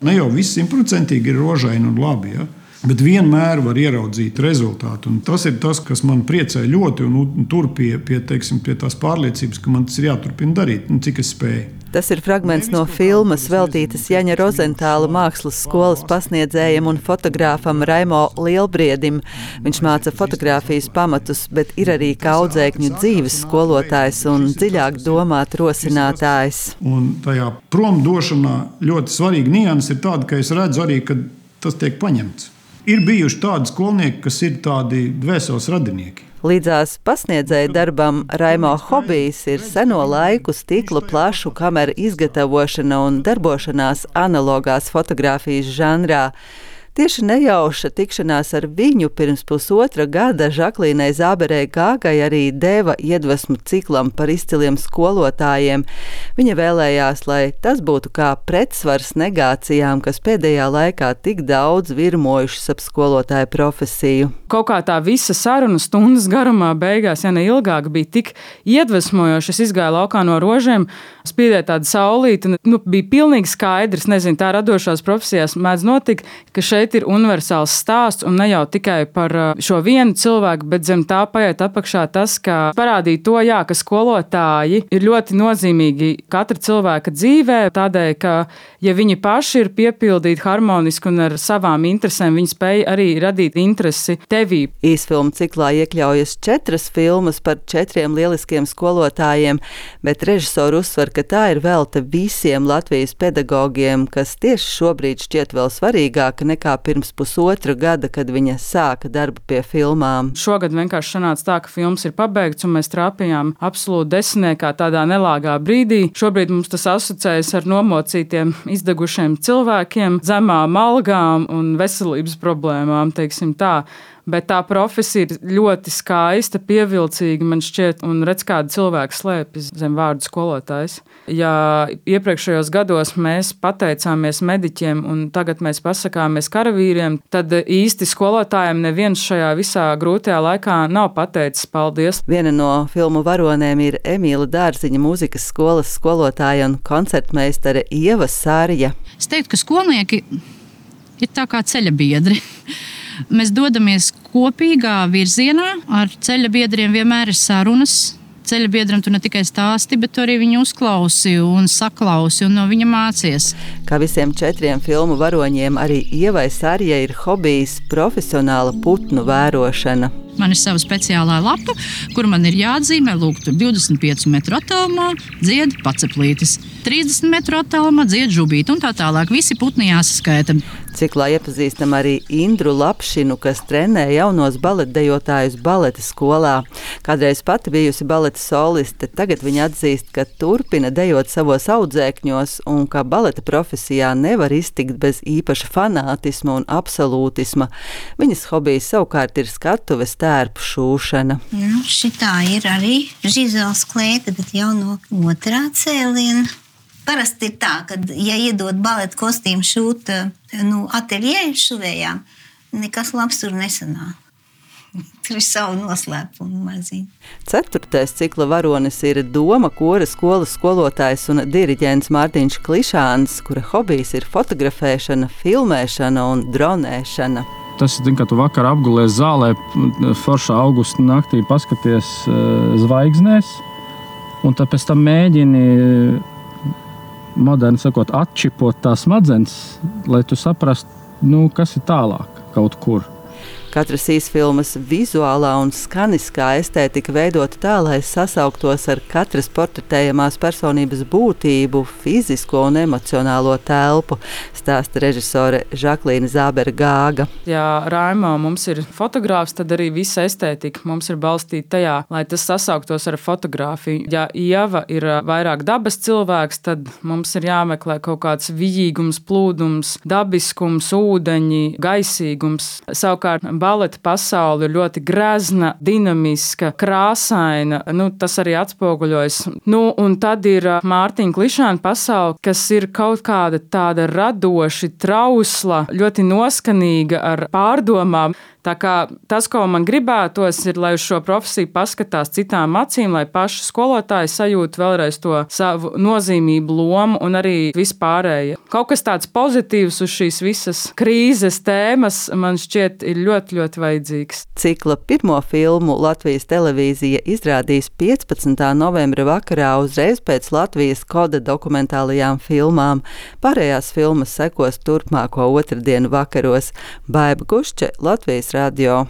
Ne jau viss 100% ir rožaini un labi, ja? Bet vienmēr var ieraudzīt rezultātu. Un tas ir tas, kas man priecē ļoti un tur pie tās pārliecības, ka man tas ir jāturpina darīt, cik es spēju. Tas ir fragments no filmas veltītas Jaņa Rozentāla mākslas skolas pasniedzējam un fotogrāfam Raimo Lielbriedim. Viņš māca fotogrāfijas pamatus, bet ir arī kā audzēkņu dzīves skolotājs un dziļāk domāt rosinātājs. Un tajā promdošanā ļoti svarīga nianse ir tāda, ka es redzu arī, ka tas tiek paņemts. Ir bijuši tādi skolnieki, kas ir tādi dvēseles radinieki. Līdzās pasniedzēja darbam Raimo hobijs ir seno laiku stikla plašu kameru izgatavošana un darbošanās analogās fotogrāfijas žanrā. Tieši nejauša tikšanās ar viņu pirms 1,5 gada Žaklīnai Zāberei Gāgai arī deva iedvesmu ciklam par izciliem skolotājiem. Viņa vēlējās, lai tas būtu kā pretsvars negācijām, kas pēdējā laikā tik daudz virmojušas ap skolotāju profesiju. Kaut kā tā visa saruna stundas garumā beigās, ja ne ilgāk, bija tik iedvesmojoša. Es izgāju laukā no rožiem, spīdēja tāda saulīte, un bija pilnīgi skaidrs, nezinu, tā radošās profesijās mēdz notikt, ka šeit ir universāls stāsts un ne jau tikai par šo vienu cilvēku, bet zem tā paiet apakšā tas, ka parādīja to, ka skolotāji ir ļoti nozīmīgi katra cilvēka dzīvē, tādēļ, ka ja viņi paši ir piepildīti harmoniski un ar savām interesēm, viņi spēj arī radīt interesi tevī. Īsfilmu ciklā iekļaujas 4 filmas par 4 lieliskiem skolotājiem, bet režisori uzsver, ka tā ir velta visiem Latvijas pedagogiem, kas tieši šobrīd šķiet vēl svarīgāka nekā pirms 1,5 gada, kad viņa sāka darbu pie filmām. Šogad vienkārši sanāca tā, ka filmas ir pabeigts, un mēs trāpījām absolūti desmitniekā tādā nelāgā brīdī. Šobrīd mums tas asociējas ar nomocītiem, izdegušiem cilvēkiem, zemām algām un veselības problēmām, teiksim tā. Bet tā profesija ir ļoti skaista, pievilcīga, man šķiet, un redz, kāda cilvēka slēpjas zem vārdu skolotājs. Ja iepriekšējos gados mēs pateicāmies mediķiem un tagad mēs pasakāmies karavīriem, tad īsti skolotājiem neviens šajā visā grūtajā laikā nav pateicis paldies. Viena no filmu varonēm ir Emīla Dārziņa mūzikas skolas skolotāja un koncertmeistare Ieva Sārja. Es teiktu, ka skolnieki ir tā kā ceļa biedri. Mēs dodamies kopīgā virzienā, ar ceļa biedriem vienmēr ir sarunas. Ceļa biedram tu ne tikai stāsti, bet tu arī viņu uzklausi un saklausi un no viņa mācies. Kā visiem 4 filmu varoņiem, arī Ievai Sārjai ir hobijs profesionāla putnu vērošana. Man ir sava speciālā lapa, kur man ir jāatzīmē, lūk, tur 25 metru attālumā dzied paceplītis, 30 metru attālumā dzied žubīti un tā tālāk. Visi putni jāsaskaita. Ciklā iepazīstam arī Indru Lapšinu, kas trenē jaunos baletdejotājus baleta skolā. Kādreiz pati bijusi baleta soliste, tagad viņa atzīst, ka turpina dejot savos audzēkņos un ka baleta profesijā nevar iztikt bez īpaša fanātisma un absolūtisma. Viņas hobijs savukārt ir skatuves tērpu šūšana. Šitā ir arī Žizels klēta, bet jau no 2. cēliena. Parasti ir tā, ka, ja iedod baleta kostīmu šūt ateljē šuvējām, nekas labs tur nesanāk. Tur ir savu noslēpumu maziņu. 4. cikla varonis ir Doma kora skolas skolotājs un diriģents Mārtiņš Klišāns, kura hobijs ir fotografēšana, filmēšana un dronēšana. Tas ir, kad tu vakar apgulies zālē, foršā augusta naktī paskaties zvaigznēs, un tad pēc tam mēģini, moderni sakot, atčipot tās smadzenes, lai tu saprastu, kas ir tālāk kaut kur. Katras īsfilmas vizuālā un skaniskā estētika veidota tā, lai sasauktos ar katras portretējamās personības būtību, fizisko un emocionālo telpu, stāsta režisore Žaklīna Zābere Gāga. Ja Raimo mums ir fotogrāfs, tad arī visa estētika mums ir balstīta tajā, lai tas sasauktos ar fotogrāfiju. Ja Ieva ir vairāk dabas cilvēks, tad mums ir jāmeklē kaut kāds vijīgums, plūdums, dabiskums, ūdeņi, gaisīgums. Savukārt baleta pasaule ir ļoti grezna, dinamiska, krāsaina. Tas arī atspoguļojas. Un tad ir Mārtiņa Klišāna pasaule, kas ir kaut kāda tāda radoši trausla, ļoti noskanīga ar pārdomām. Tā kā tas, ko man gribētos, ir, lai uz šo profesiju paskatās citām acīm, lai paši skolotāji sajūtu vēlreiz to savu nozīmību, lomu un arī vispārēji. Kaut kas tāds pozitīvs uz šīs visas krīzes tēmas man šķiet ir ļoti, ļoti vajadzīgs. Cikla pirmo filmu Latvijas televīzija izrādīs 15. novembra vakarā uzreiz pēc Latvijas koda dokumentālajām filmām. Pārējās filmas sekos turpmāko otrdienu vakaros. Baiba Gušče, Latvijas radio.